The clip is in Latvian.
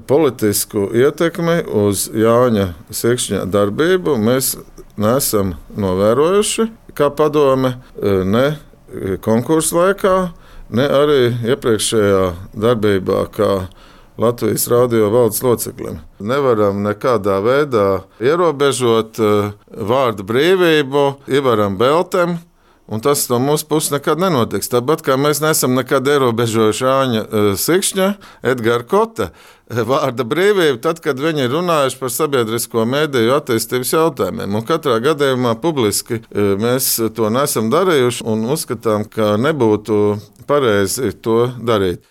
politisku ietekmi uz Jāņa Sikšņa darbību mēs neesam novērojuši kā padome ne konkursu laikā, ne arī iepriekšējā darbībā kā Latvijas radio valdes loceklim. Nevaram nekādā veidā ierobežot vārdu brīvību Ivaram Beltem, un tas no mūsu puses nekad nenotiks. Tāpat kā mēs neesam nekad ierobežojuši Jāņa Sikšņa, Edgara Kota vārda brīvību, tad, kad viņi ir runājuši par sabiedrisko mediju attīstības jautājumiem. Un katrā gadījumā publiski mēs to nesam darījuši un uzskatām, ka nebūtu pareizi to darīt.